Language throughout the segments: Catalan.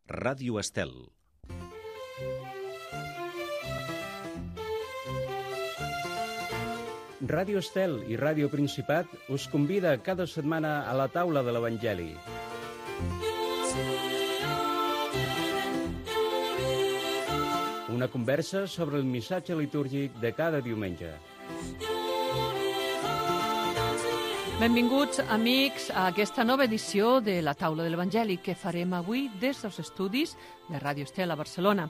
Ràdio Estel. Ràdio Estel i Ràdio Principat us convida cada setmana a la taula de l'Evangeli. Una conversa sobre el missatge litúrgic de cada diumenge. Benvinguts, amics, a aquesta nova edició de la taula de l'Evangeli que farem avui des dels estudis de Ràdio Estel a Barcelona.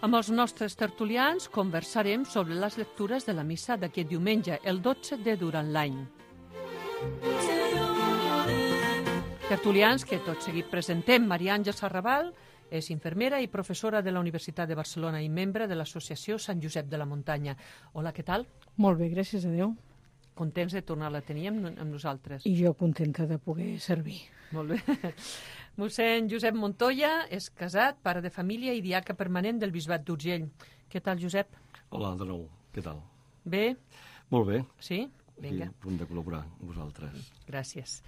Amb els nostres tertulians conversarem sobre les lectures de la missa d'aquest diumenge, el 12 de durant l'any. Tertulians que tot seguit presentem. Maria Àngels Arrabal és infermera i professora de la Universitat de Barcelona i membre de l'associació Sant Josep de la Muntanya. Hola, què tal? Molt bé, gràcies a Déu. Contents de tornar-la a tenir amb nosaltres. I jo contenta de poder servir. Molt bé. Mossèn Josep Montoya és casat, pare de família i diaca permanent del Bisbat d'Urgell. Què tal, Josep? Hola, de nou. Què tal? Bé? Molt bé. Sí? Vinga. Aquí, a punt de col·laborar amb vosaltres. Gràcies.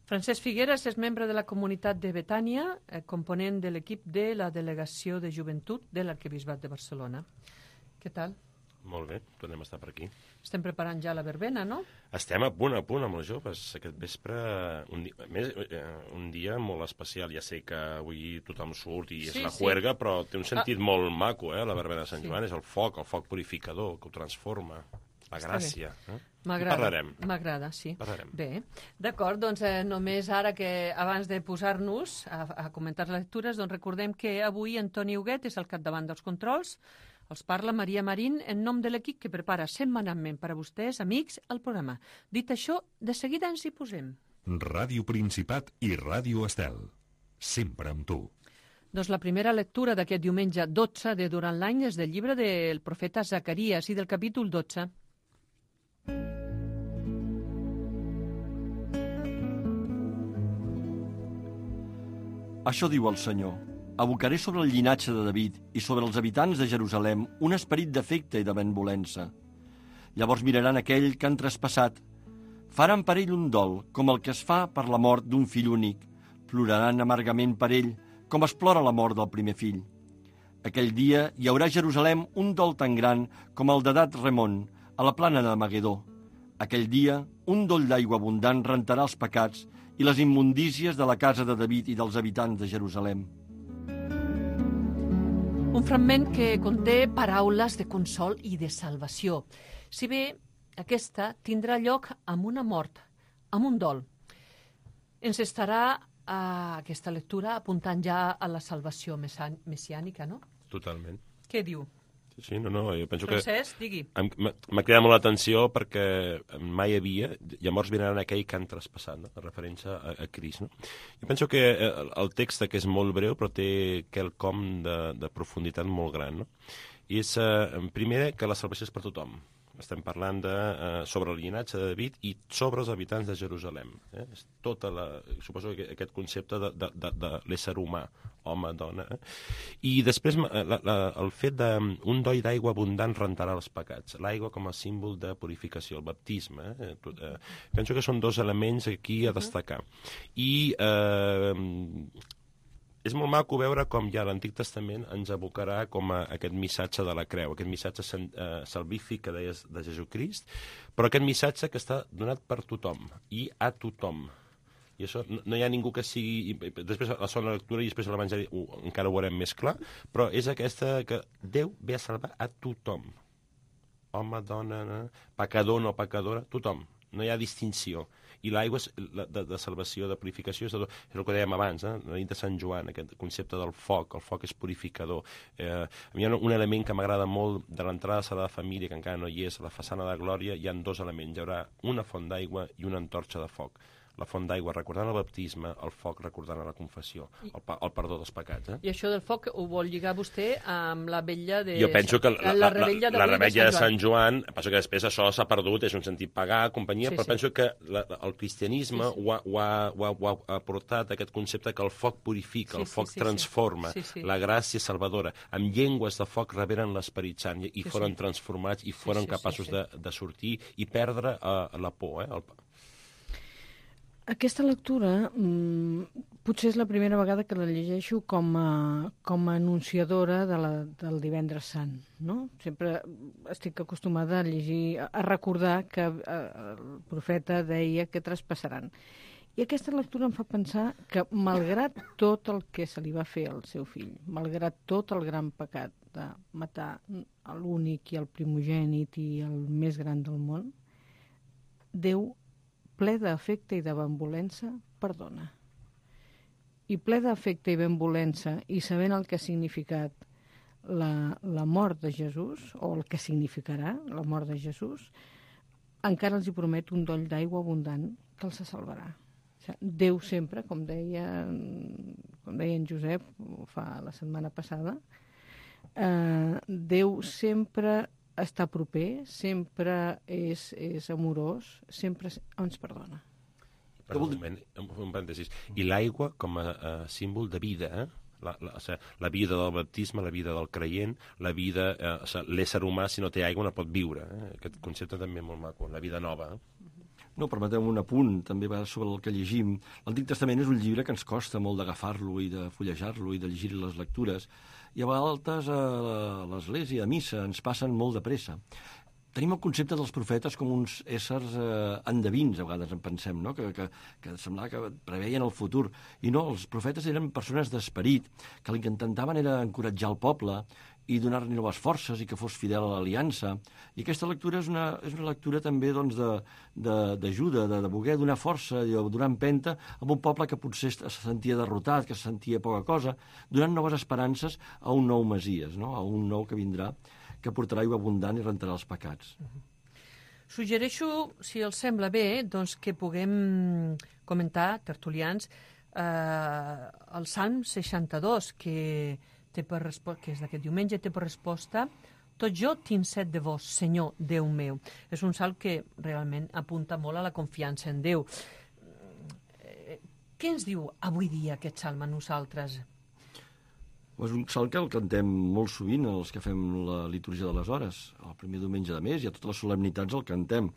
Francesc Figueres és membre de la comunitat de Betània, component de l'equip de la Delegació de Joventut de l'Arquebisbat de Barcelona. Què tal? Molt bé, tornem a estar per aquí. Estem preparant ja la verbena, no? Estem a punt amb els joves. Aquest vespre, un dia molt especial. Ja sé que avui tothom surt i és la juerga, però té un sentit molt maco, la verbena de Sant Joan. És el foc purificador, que ho transforma. La gràcia. M'agrada, sí. Parlarem. Bé, d'acord, doncs només ara que abans de posar-nos a comentar les lectures, doncs recordem que avui Antoni Huguet és al capdavant dels controls. Els parla Maria Marín en nom de l'equip que prepara setmanalment per a vostès, amics, el programa. Dit això, de seguida ens hi posem. Ràdio Principat i Ràdio Estel. Sempre amb tu. Doncs la primera lectura d'aquest diumenge 12 de durant l'any és del llibre del profeta Zacaries i del capítol 12. Això diu el Senyor. Abocaré sobre el llinatge de David i sobre els habitants de Jerusalem un esperit d'afecte i de benevolença. Llavors miraran aquell que han traspassat. Faran per ell un dol, com el que es fa per la mort d'un fill únic. Ploraran amargament per ell, com es plora la mort del primer fill. Aquell dia hi haurà a Jerusalem un dol tan gran com el d'Edat Remon, a la plana de Magedó. Aquell dia, un doll d'aigua abundant rentarà els pecats i les immundícies de la casa de David i dels habitants de Jerusalem. Un fragment que conté paraules de consol i de salvació. Si bé aquesta tindrà lloc amb una mort, amb un dol. Ens estarà aquesta lectura apuntant ja a la salvació messiànica, no? Totalment. Què diu? Sí, no, jo penso Francesc, digui. M'ha cridat molt l'atenció perquè mai havia, llavors vindran aquell que han traspassat, no? La referència a Crist, no? Jo penso que el text que és molt breu però té quelcom de profunditat molt gran, no? I és, primer, que la salvació és per tothom. Estem parlant sobre el llinatge de David i sobre els habitants de Jerusalem. És suposo que aquest concepte de l'ésser humà, home, dona. I després el fet d'un doll d'aigua abundant rentarà els pecats. L'aigua com a símbol de purificació, el baptisme. Penso que són dos elements aquí a destacar. I és molt maco veure com ja l'Antic Testament ens abocarà com a aquest missatge de la creu, aquest missatge salvífic que deies de Jesucrist, però aquest missatge que està donat per tothom i a tothom. I això no hi ha ningú que sigui... Després a la segona lectura i després a l'Evangeli encara ho veurem més clar, però és aquesta que Déu ve a salvar a tothom. Home, dona, pecador, no pecadora, tothom. No hi ha distinció. I l'aigua de salvació, de purificació, és el que dèiem abans, la nit de Sant Joan, aquest concepte del foc, el foc és purificador. A mi hi ha un element que m'agrada molt de l'entrada a Sagrada Família, que encara no hi és, a la façana de Glòria, hi ha dos elements, hi haurà una font d'aigua i una antorxa de foc. La font d'aigua recordant el baptisme, el foc recordant la confessió, el perdó dels pecats. I això del foc ho vol lligar vostè amb la vetlla de... Jo penso que la revetlla de Sant Joan, penso que després això s'ha perdut, és un sentit pagà, companyia, però penso que el cristianisme ho ha portat aquest concepte que el foc purifica, el foc transforma, la gràcia salvadora. Amb llengües de foc reberen l'Esperit Sant i foren transformats i foren capaços de sortir i perdre la por, Aquesta lectura potser és la primera vegada que la llegeixo com a anunciadora del Divendres Sant, no? Sempre estic acostumada a llegir, a recordar que el profeta deia que traspassaran. I aquesta lectura em fa pensar que, malgrat tot el que se li va fer al seu fill, malgrat tot el gran pecat de matar l'únic i el primogènit i el més gran del món, Déu, ple d'afecte i de benevolença, perdona. I ple d'afecte i benevolença, i sabent el que ha significat la mort de Jesús, o el que significarà la mort de Jesús, encara els hi promet un doll d'aigua abundant que els salvarà. O sigui, Déu sempre, com deia en Josep la setmana passada, Déu sempre està proper, sempre és amorós, sempre ens perdona. Perdó, un parèntesis. I l'aigua com a símbol de vida, la vida del baptisme, la vida del creient, la vida, l'ésser humà, si no té aigua no pot viure. Aquest concepte també és molt maco, la vida nova. No, permeteu un apunt, també va sobre el que llegim. L'Antic Testament és un llibre que ens costa molt d'agafar-lo i de fullejar-lo i de llegir les lectures, i a vegades a l'església, a missa, ens passen molt de pressa. Tenim el concepte dels profetes com uns éssers endevins, a vegades en pensem, no? que semblava que preveien el futur. I no, els profetes eren persones d'esperit, que el que intentaven era encoratjar el poble i donar-li noves forces i que fos fidel a l'aliança. I aquesta lectura és una lectura també doncs, d'ajuda, de voler donar força, de donar empenta a un poble que potser se sentia derrotat, que se sentia poca cosa, donant noves esperances a un nou Messies, no? A un nou que vindrà, que portarà aigua abundant i rentarà els pecats. Suggereixo, si els sembla bé, doncs que puguem comentar, tertulians, el Salm 62, que és d'aquest diumenge, té per resposta: tot jo tinc set de vos, Senyor, Déu meu. És un salm que realment apunta molt a la confiança en Déu. Què ens diu avui dia aquest salm a nosaltres? És un salm que el cantem molt sovint els que fem la litúrgia de les hores. El primer diumenge de mes i a totes les solemnitats el cantem.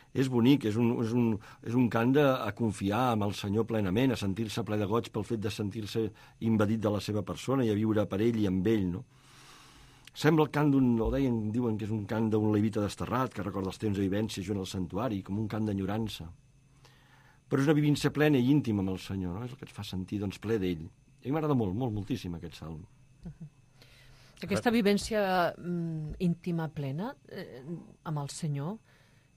És bonic, és un cant a confiar en el Senyor plenament, a sentir-se ple de goig pel fet de sentir-se invadit de la seva persona i a viure per ell i amb ell, no? Sembla el cant diuen que és un cant d'un levita desterrat, que recorda els temps de vivència junt al santuari, com un cant d'enyorança. Però és una vivència plena i íntima amb el Senyor, no? És el que ens fa sentir doncs, ple d'ell. I a mi m'agrada molt, molt, moltíssim aquest salm. Aquesta vivència íntima plena amb el Senyor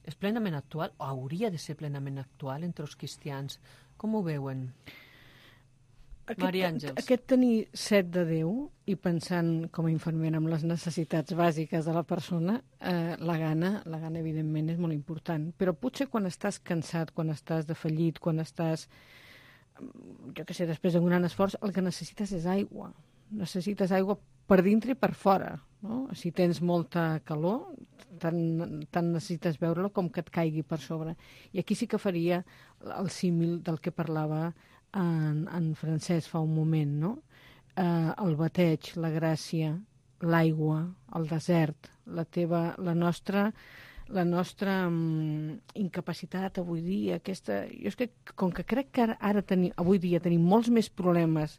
és plenament actual, o hauria de ser plenament actual entre els cristians. Com ho veuen? Maria Àngels. Aquest tenir set de Déu i pensant com a infermera en les necessitats bàsiques de la persona, la gana evidentment és molt important. Però potser quan estàs cansat, quan estàs defallit, quan estàs, jo què sé, després d'un gran esforç, el que necessites és aigua. Necessites aigua per dintre i per fora, no? Si tens molta calor, tant necessites veure-la com que et caigui per sobre. I aquí sí que faria el símil del que parlava en Francesc fa un moment, no? El bateig, la gràcia, l'aigua, el desert, la nostra incapacitat avui dia, jo és que com que crec que avui dia tenim molts més problemes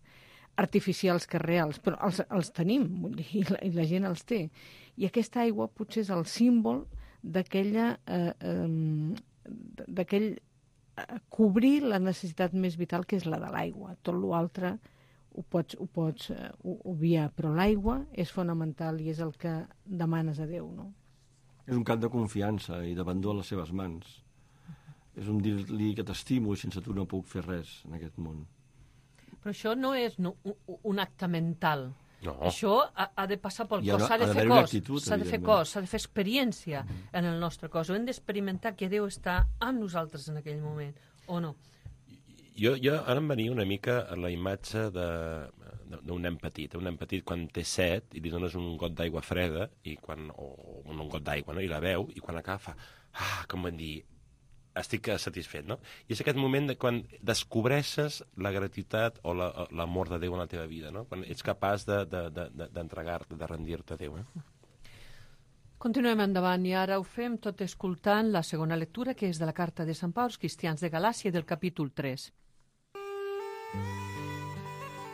artificials que reals, però els tenim, vull dir, i la gent els té. I aquesta aigua potser és el símbol d'aquell cobrir la necessitat més vital, que és la de l'aigua. Tot l'altre ho pots obviar, però l'aigua és fonamental i és el que demanes a Déu, no? És un cant de confiança i d'abandó a les seves mans. És un dir-li que t'estimo i sense tu no puc fer res en aquest món. Però això no és un acte mental. No. Això ha de passar pel cos, s'ha de fer cos, s'ha de fer cos, s'ha de fer experiència en el nostre cos. Hem d'experimentar que Déu està amb nosaltres en aquell moment, o no? Jo ara em venia una mica a la imatge d'un nen petit. Un nen petit quan té set i li dones un got d'aigua freda o un got d'aigua, no? I la veu, i quan acaba fa, com van dir, estic satisfet, no? I és aquest moment de quan descobreixes la gratitat o l'amor de Déu en la teva vida, no? Quan ets capaç d'entregar-te, de rendir-te a Déu, Continuem endavant i ara ho fem tot escoltant la segona lectura, que és de la carta de Sant Pau als cristians de Galàcia del capítol 3.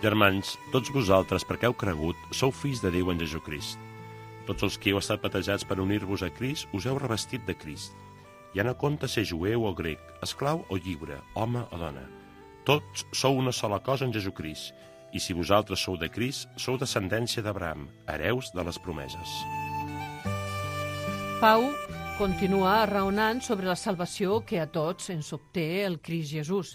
Germans, tots vosaltres, perquè heu cregut, sou fills de Déu en Jesucrist. Tots els que heu estat batejats per unir-vos a Crist, us heu revestit de Crist. Ja no compta ser jueu o grec, esclau o lliure, home o dona. Tots sou una sola cosa en Jesucrist, i si vosaltres sou de Crist, sou descendència d'Abraham, hereus de les promeses. Pau continua raonant sobre la salvació que a tots ens obté el Crist Jesús.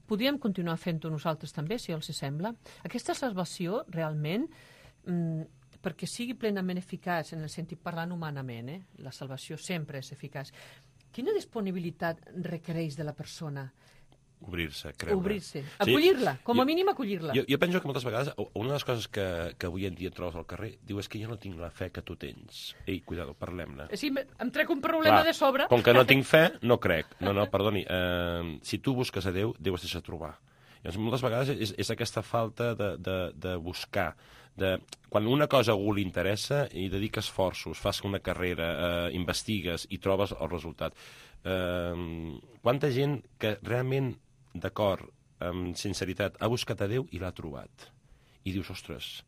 Podríem continuar fent-ho nosaltres també, si els sembla. Aquesta salvació, realment, perquè sigui plenament eficaç, en el sentit parlant humanament, la salvació sempre és eficaç. Quina disponibilitat requereix de la persona? Obrir-se, creure. Obrir-se. Acollir-la, com a mínim acollir-la. Jo penso que moltes vegades, una de les coses que avui en dia et trobes al carrer, diu, és que jo no tinc la fe que tu tens. Ei, cuidado, parlem-ne. Sí, em trec un problema de sobre. Com que no tinc fe, no crec. No, perdoni. Si tu busques a Déu, Déu es deixa trobar. Llavors, moltes vegades és aquesta falta de buscar. Quan una cosa a algú li interessa i dedica esforços, fas una carrera, investigues i trobes el resultat. Quanta gent que realment, d'acord, amb sinceritat, ha buscat a Déu i l'ha trobat. I dius, ostres...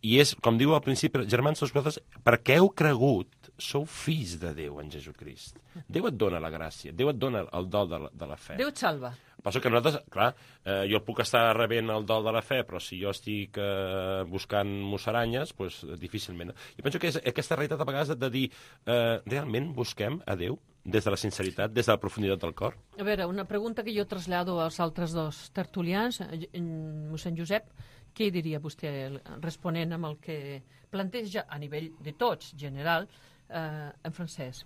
I és, com diu al principi, germans, vosaltres, perquè heu cregut, sou fills de Déu en Jesucrist. Déu et dona la gràcia, Déu et dona el dol de la fe. Déu et salva. Penso que nosaltres, clar, jo puc estar rebent el dol de la fe, però si jo estic buscant musaranyes, doncs difícilment. Jo penso que és aquesta realitat a vegades de dir, realment busquem a Déu des de la sinceritat, des de la profunditat del cor? A veure, una pregunta que jo trasllado als altres dos tertulians. Mossèn Josep, què diria vostè responent amb el que planteja a nivell de tots, general, en Francesc?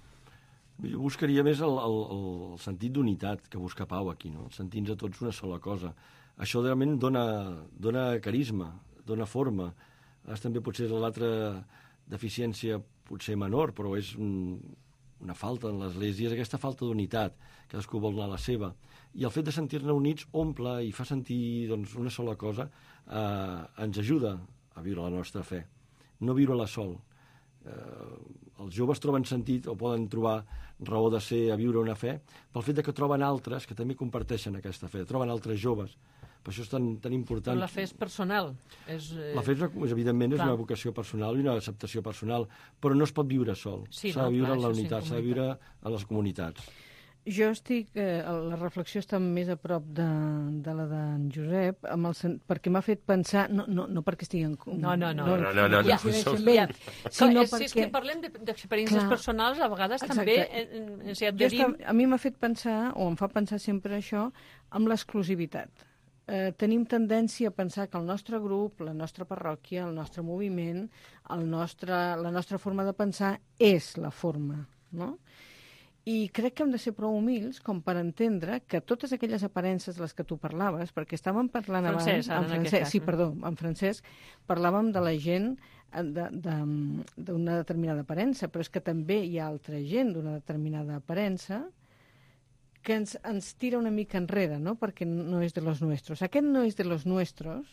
Jo buscaria més el sentit d'unitat que busca Pau aquí, no? Sentir-nos a tots una sola cosa. Això realment dona carisma, dona forma. També potser l'altra deficiència potser menor, però és una falta en l'Església, és aquesta falta d'unitat, cadascú vol anar a la seva. I el fet de sentir-ne units omple i fa sentir una sola cosa, ens ajuda a viure la nostra fe. No viure-la sol. Els joves troben sentit o poden trobar raó de ser a viure una fe pel fet que troben altres que també comparteixen aquesta fe, troben altres joves. Per això és tan important. Però la fe és personal. La fe, evidentment, és una vocació personal i una acceptació personal, però no es pot viure sol. S'ha de viure en la unitat, s'ha de viure en les comunitats. Jo estic... la reflexió està més a prop de la d'en Josep, perquè m'ha fet pensar... No perquè estigui en... No. Si és que parlem d'experiències personals, a vegades també ens hi ha de dir... A mi m'ha fet pensar, o em fa pensar sempre això, amb l'exclusivitat. Tenim tendència a pensar que el nostre grup, la nostra parròquia, el nostre moviment, la nostra forma de pensar és la forma, no? I crec que hem de ser prou humils com per entendre que totes aquelles aparences de les que tu parlaves, perquè estàvem parlant abans... En Francesc, parlàvem de la gent d'una determinada aparença, però és que també hi ha altra gent d'una determinada aparença que ens tira una mica enrere, no? Perquè no és de los nuestros. Aquest no és de los nuestros,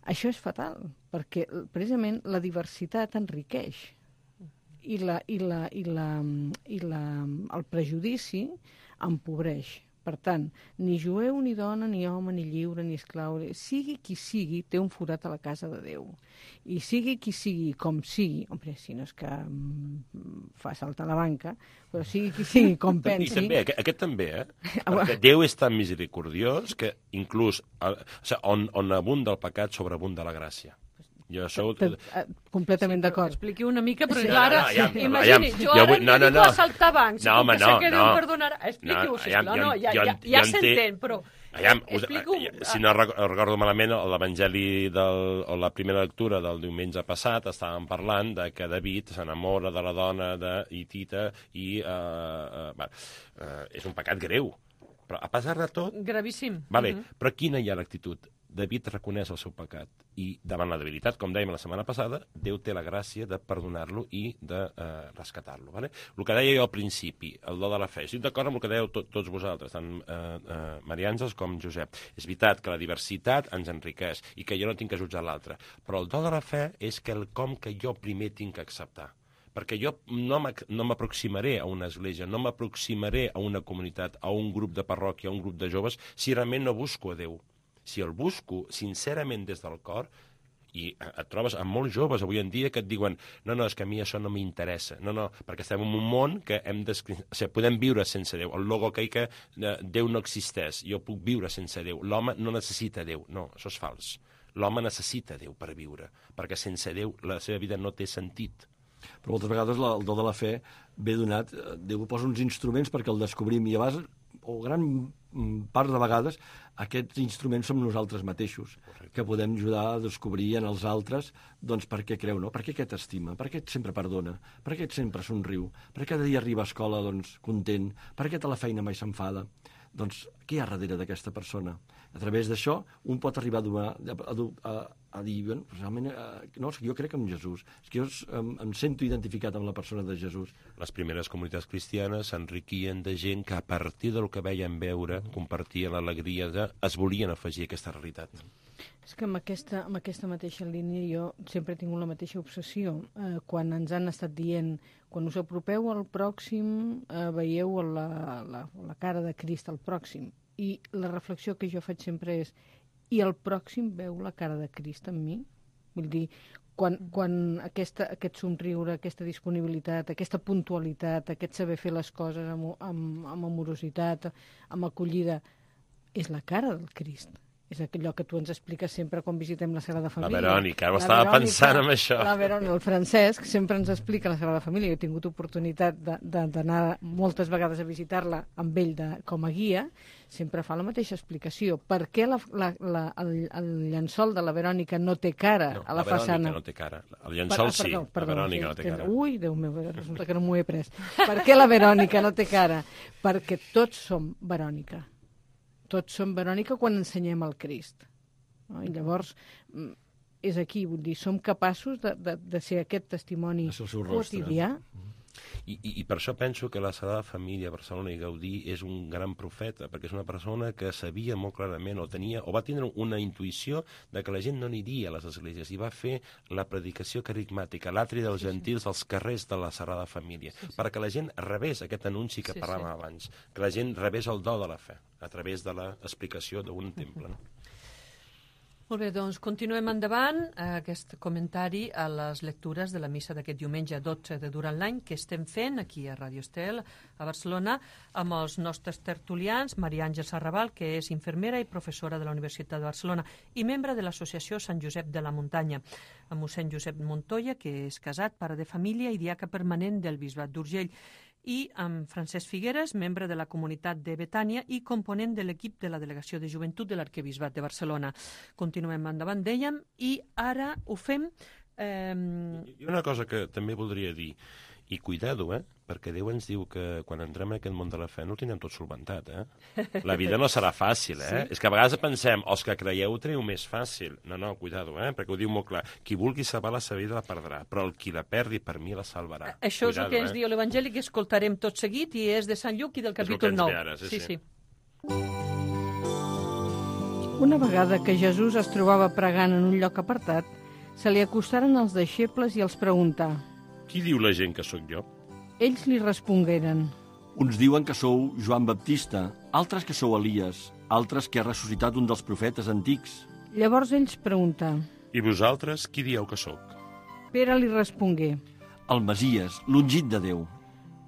això és fatal, perquè precisament la diversitat enriqueix i el prejudici empobreix. Per tant, ni jueu, ni dona, ni home, ni lliure, ni esclau, sigui qui sigui, té un forat a la casa de Déu. I sigui qui sigui, com sigui, si no és que fa saltar la banca, però sigui qui sigui, com pensi... I també, aquest també, perquè Déu és tan misericordiós que inclús on abunda el pecat, sobreabunda la gràcia. Jo sou... Completament d'acord. Expliqui una mica, però ara... Imagini, jo ara em dedico a saltar bancs. No, home, no. Que Déu perdonarà. Expliqui-ho, sisplau. No, ja s'entén, però... Si no recordo malament, l'Evangeli o la primera lectura del diumenge passat estàvem parlant de que David s'enamora de la dona d'Hitita i és un pecat greu. Però a pesar de tot... Gravíssim. Vale, però quina hi ha l'actitud? David reconeix el seu pecat i davant la debilitat, com dèiem la setmana passada, Déu té la gràcia de perdonar-lo i de rescatar-lo. Vale? El que deia jo al principi, el do de la fe, estic d'acord amb el que dèieu tots vosaltres, tant Maria Àngels com Josep. És veritat que la diversitat ens enriqueix i que jo no tinc que jutjar l'altre, però el do de la fe és quelcom que jo primer tinc que acceptar. Perquè jo no m'aproximaré a una església, no m'aproximaré a una comunitat, a un grup de parròquia, a un grup de joves, si realment no busco a Déu. Si el busco sincerament des del cor, i et trobes amb molts joves avui en dia que et diuen no, és que a mi això no m'interessa. No, perquè estem en un món que podem viure sense Déu. El logo que Déu no existeix, jo puc viure sense Déu. L'home no necessita Déu. No, això és fals. L'home necessita Déu per viure, perquè sense Déu la seva vida no té sentit. Però moltes vegades el do de la fe ve donat, Déu posa uns instruments perquè el descobrim i a vegades, o gran part de vegades, aquests instruments som nosaltres mateixos, que podem ajudar a descobrir en els altres doncs, per què creu, no? Per què aquest estima, per què sempre perdona, per què sempre somriu, per què cada dia arriba a escola doncs, content, per què a la feina mai s'enfada. Doncs què hi ha darrere d'aquesta persona? A través d'això, un pot arribar a dir, realment, no, és que jo crec en Jesús, és que jo em sento identificat amb la persona de Jesús. Les primeres comunitats cristianes s'enriquien de gent que a partir del que veien veure, compartien l'alegria es volien afegir a aquesta realitat. És que amb aquesta mateixa línia jo sempre he tingut la mateixa obsessió. Quan ens han estat dient, quan us apropeu al pròxim, veieu la cara de Crist al pròxim. I la reflexió que jo faig sempre és, i el pròxim veu la cara de Crist en mi? Vull dir, quan aquest somriure, aquesta disponibilitat, aquesta puntualitat, aquest saber fer les coses amb amorositat, amb acollida, és la cara del Crist. És allò que tu ens expliques sempre quan visitem la Sagrada Família. La Verònica, estava pensant en això. La Verònica, el Francesc, sempre ens explica la Sagrada Família. Jo he tingut oportunitat d'anar moltes vegades a visitar-la amb ell com a guia, sempre fa la mateixa explicació. Per què el llençol de la Verònica no té cara a la façana? La Verònica no té cara. El llençol sí, la Verònica no té cara. Ui, Déu meu, resulta que no m'ho he pres. Per què la Verònica no té cara? Perquè tots som Verònica. Tots som Verònica quan ensenyem el Crist. No? I llavors, és aquí, vull dir, som capaços de ser aquest testimoni quotidià. I per això penso que la Sagrada Família a Barcelona i Gaudí és un gran profeta, perquè és una persona que sabia molt clarament, o va tindre una intuïció de que la gent no aniria a les esglésies, i va fer la predicació carigmàtica, l'atri dels gentils als carrers de la Sagrada Família, perquè la gent rebés aquest anunci que parlàvem abans, que la gent rebés el do de la fe, a través de l'explicació d'un temple. No? Molt bé, doncs continuem endavant aquest comentari a les lectures de la missa d'aquest diumenge 12 de Durant l'Any que estem fent aquí a Ràdio Estel, a Barcelona, amb els nostres tertulians, Maria Àngels Arrabal, que és infermera i professora de la Universitat de Barcelona i membre de l'Associació Sant Josep de la Muntanya, amb mossèn Josep Montoya, que és casat, pare de família i diaca permanent del Bisbat d'Urgell, i amb Francesc Figueres, membre de la comunitat de Betània i component de l'equip de la Delegació de Joventut de l'Arquebisbat de Barcelona. Continuem endavant, dèiem, i ara ho fem... I una cosa que també voldria dir, i cuidado, perquè Déu ens diu que quan entrem en aquest món de la fe no ho tindrem tot solventat, La vida no serà fàcil, Sí. És que a vegades pensem, els que creieu ho teniu més fàcil. No, cuidado, perquè ho diu molt clar. Qui vulgui salvar la seva vida la perdrà, però el qui la perdi per mi la salvarà. Això és el que ens diu l'Evangeli, que escoltarem tot seguit, i és de Sant Lluc i del capítol 9. Ara, sí. Una vegada que Jesús es trobava pregant en un lloc apartat, se li acostaren els deixebles i els preguntà: Qui diu la gent que sóc jo? Ells li respongueren: Uns diuen que sou Joan Baptista, altres que sou Elies, altres que ha ressuscitat un dels profetes antics. Llavors ells preguntà: I vosaltres, qui dieu que sóc? Pere li respongué: El Messies, l'ungit de Déu.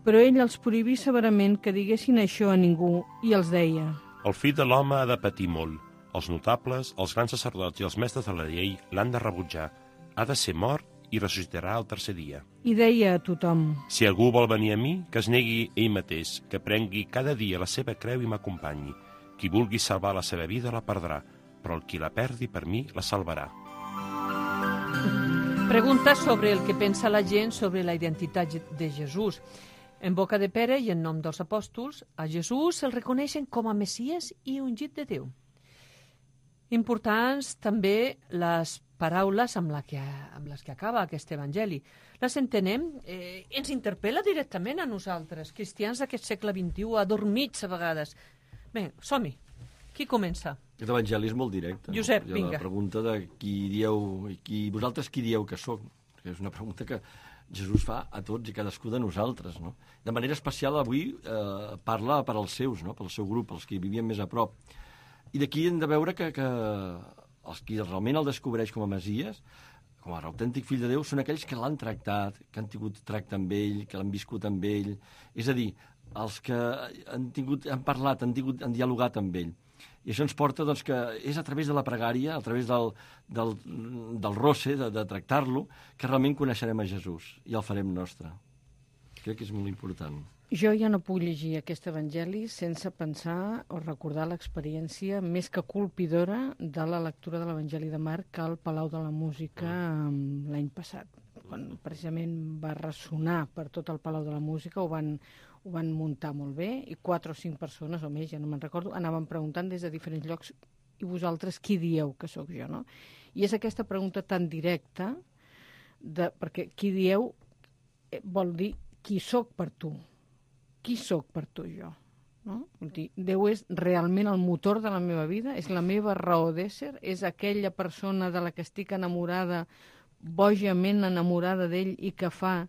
Però ell els prohibí severament que diguessin això a ningú i els deia: El fill de l'home ha de patir molt. Els notables, els grans sacerdots i els mestres de la llei l'han de rebutjar. Ha de ser mort i ressuscitarà el tercer dia. I deia a tothom: Si algú vol venir a mi, que es negui ell mateix, que prengui cada dia la seva creu i m'acompanyi. Qui vulgui salvar la seva vida la perdrà, però el qui la perdi per mi la salvarà. Pregunta sobre el que pensa la gent sobre la identitat de Jesús. En boca de Pere i en nom dels apòstols, a Jesús se'l reconeixen com a Messies i ungit de Déu. Importants també les paraules amb les que acaba aquest evangeli. Les entenem? Ens interpel·la directament a nosaltres, cristians d'aquest segle XXI, adormits a vegades. Bé, som-hi. Qui comença? Aquest evangeli és molt directe. Josep, no? vinga. La pregunta de vosaltres qui dieu que sóc? És una pregunta que Jesús fa a tots i cadascú de nosaltres. No? De manera especial avui parla per als seus, no? Pel seu grup, els que hi vivien més a prop. I d'aquí hem de veure que els qui realment el descobreix com a Messies, com a autèntic fill de Déu, són aquells que l'han tractat, que han tingut tracte amb ell, que l'han viscut amb ell. És a dir, els que han parlat, han dialogat amb ell. I això ens porta doncs, que és a través de la pregària, a través del roce, de tractar-lo, que realment coneixerem a Jesús i el farem nostre. Crec que és molt important. Jo ja no puc llegir aquest evangeli sense pensar o recordar l'experiència més que colpidora de la lectura de l'Evangeli de Marc al Palau de la Música l'any passat. Quan precisament va ressonar per tot el Palau de la Música, ho van muntar molt bé, i 4 o 5 persones, o més, ja no me'n recordo, anaven preguntant des de diferents llocs, i vosaltres qui dieu que sóc jo, no? I és aquesta pregunta tan directa, perquè qui dieu vol dir qui sóc per tu. Qui sóc per tu jo? No? Vull dir, Déu és realment el motor de la meva vida, és la meva raó d'ésser, és aquella persona de la que estic enamorada, bojament enamorada d'ell, i que fa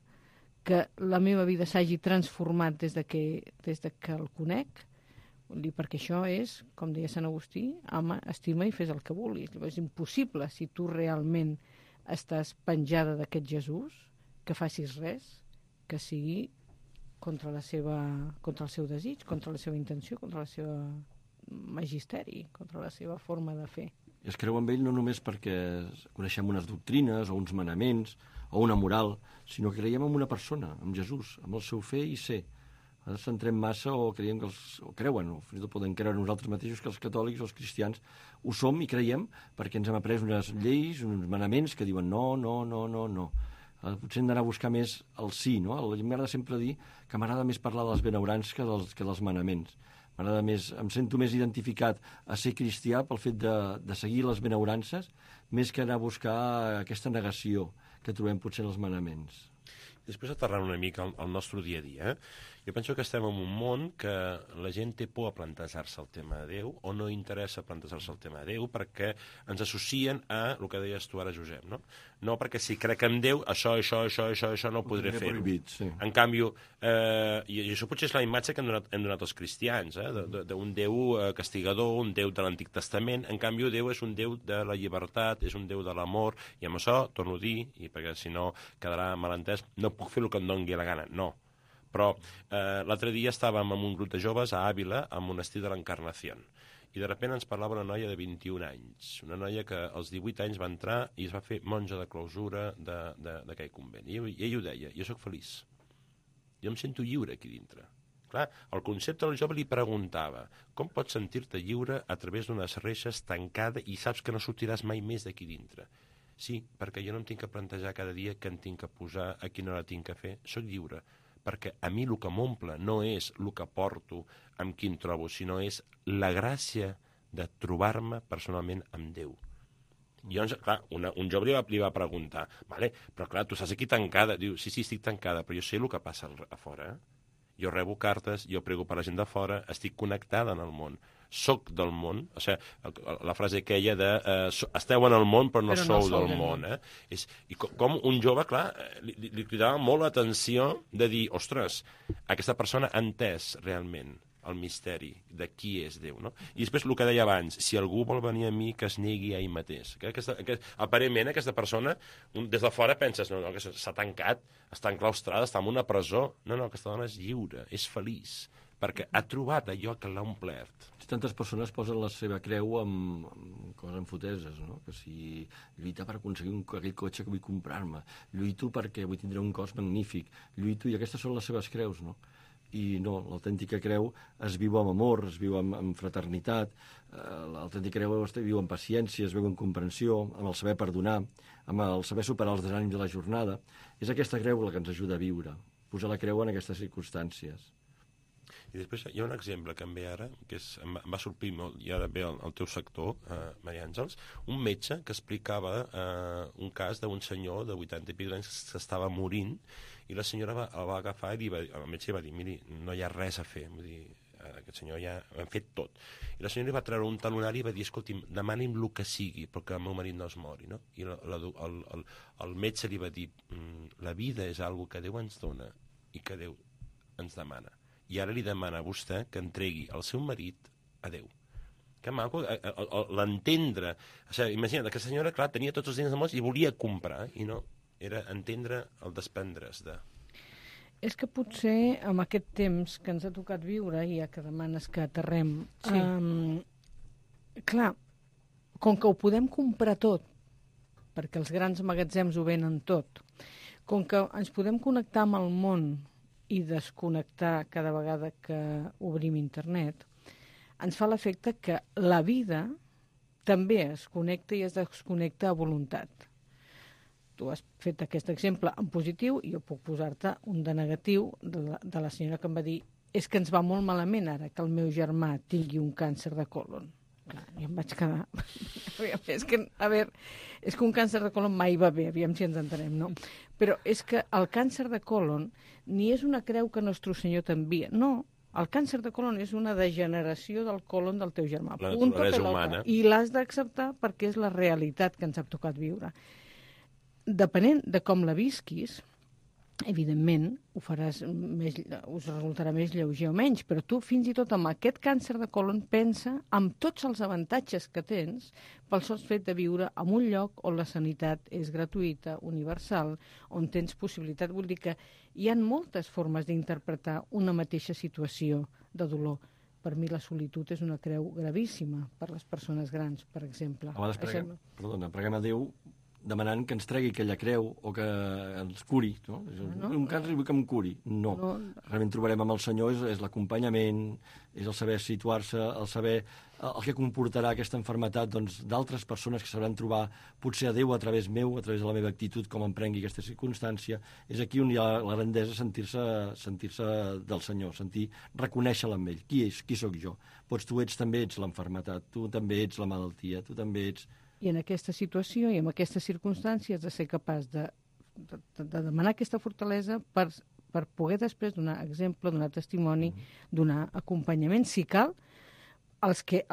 que la meva vida s'hagi transformat des de que el conec. Vull dir, perquè això és, com deia Sant Agustí, ama, estima i fes el que vulguis. És impossible, si tu realment estàs penjada d'aquest Jesús, que facis res que sigui contra el seu desig, contra la seva intenció, contra el seu magisteri, contra la seva forma de fer. I es creu amb ell no només perquè coneixem unes doctrines o uns manaments o una moral, sinó que creiem en una persona, en Jesús, amb el seu fer i ser. Ara centrem massa o creiem que creuen, o fins i tot poden creure nosaltres mateixos que els catòlics o els cristians ho som i creiem perquè ens hem après unes lleis, uns manaments que diuen no. Potser hem d'anar a buscar més el sí, no? M'agrada sempre dir que m'agrada més parlar dels benaurances que dels manaments. Em sento més identificat a ser cristià pel fet de seguir les benaurances més que anar a buscar aquesta negació que trobem potser en els manaments. Després aterrant una mica al nostre dia a dia, jo penso que estem en un món que la gent té por a plantejar-se el tema de Déu o no interessa plantejar-se el tema de Déu perquè ens associen a el que deies tu ara, Josep, no? No, perquè si crec en Déu, això no ho podré fer. Sí. En canvi, i això potser és la imatge que hem donat els cristians, d'un Déu castigador, un Déu de l'Antic Testament. En canvi, Déu és un Déu de la llibertat, és un Déu de l'amor, i amb això, torno a dir, i perquè si no quedarà malentès, no puc fer el que em doni la gana, no. Però l'altre dia estàvem amb un grup de joves a Àvila, al monestir de l'Encarnació, i de sobte ens parlava una noia de 21 anys, una noia que als 18 anys va entrar i es va fer monja de clausura d'aquell convent. I ell ho deia, jo sóc feliç, jo em sento lliure aquí dintre. Clar, el concepte del jove li preguntava, com pots sentir-te lliure a través d'unes reixes tancada i saps que no sortiràs mai més d'aquí dintre? Sí, perquè jo no em tinc que plantejar cada dia què em tinc que posar, a quina hora tinc que fer, sóc lliure. Perquè a mi el que m'omple no és el que porto, amb qui em trobo, sinó és la gràcia de trobar-me personalment amb Déu. I llavors, clar, un jove li va preguntar, vale, però clar, tu estàs aquí tancada. Diu, sí, estic tancada, però jo sé el que passa a fora. Jo rebo cartes, jo prego per la gent de fora, estic connectada en el món. Soc del món, o sigui, la frase aquella de esteu en el món però no sou del món. I com un jove, clar, li cridava molt l'atenció de dir, ostres, aquesta persona ha entès realment el misteri de qui és Déu, no? I després el que deia abans, si algú vol venir a mi, que es negui a ell mateix. Aparentment, aquesta persona, des de fora penses, no, que s'ha tancat, està enclaustrada, està en una presó. No, aquesta dona és lliure, és feliç, perquè ha trobat allò que l'ha omplert. Tantes persones posen la seva creu amb coses enfoteses, no? Que si lluita per aconseguir aquell cotxe que vull comprar-me, lluito perquè vull tindre un cos magnífic, lluito, i aquestes són les seves creus, no? I no, l'autèntica creu es viu amb amor, es viu amb fraternitat, l'autèntica creu es viu amb paciència, es viu amb comprensió, amb el saber perdonar, amb el saber superar els desànims de la jornada. És aquesta creu la que ens ajuda a viure, posar la creu en aquestes circumstàncies. I després hi ha un exemple que em ve ara, que em va sortir molt, i ara ve el teu sector, Maria Àngels, un metge que explicava un cas d'un senyor de 80 i pico anys que s'estava morint, i la senyora el va agafar i el metge va dir, miri, no hi ha res a fer, vull dir, aquest senyor ja ho hem fet tot. I la senyora li va treure un talonari i va dir, escolti'm, demani'm el que sigui perquè el meu marit no es mori, no? I el metge li va dir, la vida és algo que Déu ens dona i que Déu ens demana. I ara li demana a vostè que entregui el seu marit a Déu. Que maco, l'entendre. O sigui, imagina't, aquesta senyora, clar, tenia tots els diners del món i volia comprar, i no, era entendre el desprendre's de... És que potser amb aquest temps que ens ha tocat viure, ja que demanes que aterrem, sí. Clar, com que ho podem comprar tot, perquè els grans magatzems ho venen tot, com que ens podem connectar amb el món i desconnectar cada vegada que obrim internet, ens fa l'efecte que la vida també es connecta i es desconnecta a voluntat. Tu has fet aquest exemple en positiu i jo puc posar-te un de negatiu de la senyora que em va dir és que ens va molt malament ara que el meu germà tingui un càncer de còlon. Clar, jo em vaig quedar... és que un càncer de còlon mai va bé, aviam si ens entenem, no? Però és que el càncer de còlon ni és una creu que Nostre Senyor t'envia, no. El càncer de còlon és una degeneració del còlon del teu germà. La naturalesa humana. I l'has d'acceptar perquè és la realitat que ens ha tocat viure. Depenent de com la visquis, evidentment, us resultarà més lleuger o menys, però tu fins i tot amb aquest càncer de còlon pensa amb tots els avantatges que tens pel sol fet de viure en un lloc on la sanitat és gratuïta, universal, on tens possibilitat. Vull dir que hi ha moltes formes d'interpretar una mateixa situació de dolor. Per mi la solitud és una creu gravíssima per les persones grans, per exemple. A vegades preguem a Déu demanant que ens tregui aquella creu o que ens curi. No? Un càncer vull que em curi. No. Realment trobarem amb el Senyor és l'acompanyament, és el saber situar-se, el saber el que comportarà aquesta malaltia d'altres persones que sabran trobar potser a Déu a través meu, a través de la meva actitud, com em prengui aquesta circumstància. És aquí on hi ha la grandesa, sentir-se del Senyor, reconèixer-la amb ell. Qui sóc jo? Tu també ets la malaltia, tu també ets la malaltia, tu també ets... I en aquesta situació i en aquestes circumstàncies has de ser capaç de demanar aquesta fortalesa per poder després donar exemple, donar testimoni, donar acompanyament, si cal, els que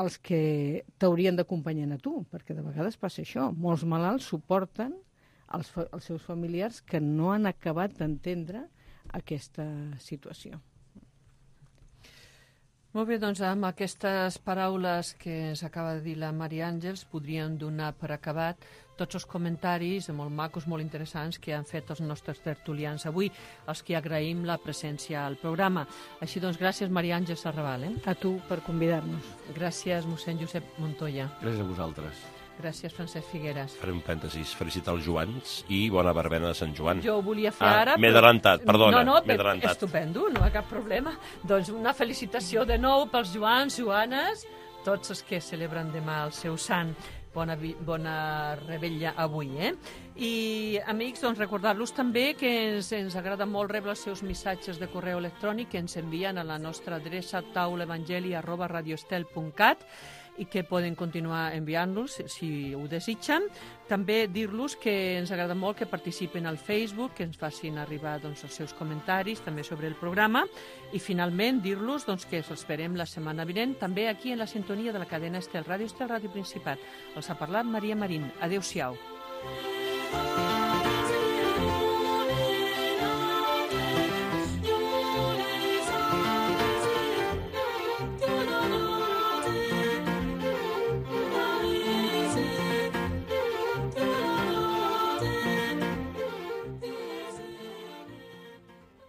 t'haurien d'acompanyar a tu, perquè de vegades passa això. Molts malalts suporten els seus familiars que no han acabat d'entendre aquesta situació. Molt bé, doncs amb aquestes paraules que ens acaba de dir la Maria Àngels podríem donar per acabat tots els comentaris molt macos, molt interessants que han fet els nostres tertulians avui, els que agraïm la presència al programa. Així doncs, gràcies Maria Àngels Arrabal. A tu per convidar-nos. Gràcies mossèn Josep Montoya. Gràcies a vosaltres. Gràcies, Francesc Figueres. Faré un parèntesis, felicitar els Joans i bona verbena de Sant Joan. Jo ho volia fer ara. M'he adelantat, perdona. M'he adelantat. Estupendo, no hi ha cap problema. Doncs una felicitació de nou pels Joans, Joanes, tots els que celebren demà el seu sant. Bona revetlla avui, I, amics, doncs recordar-los també que ens agrada molt rebre els seus missatges de correu electrònic que ens envien a la nostra adreça taulaevangeli@radioestel.cat i que poden continuar enviant-los si ho desitgen. També dir-los que ens agrada molt que participin al Facebook, que ens facin arribar els seus comentaris també sobre el programa i finalment dir-los que els esperem la setmana vinent també aquí en la sintonia de la cadena Estel, Ràdio Estel, Ràdio Principat. Els ha parlat Maria Marín. Adéu-siau.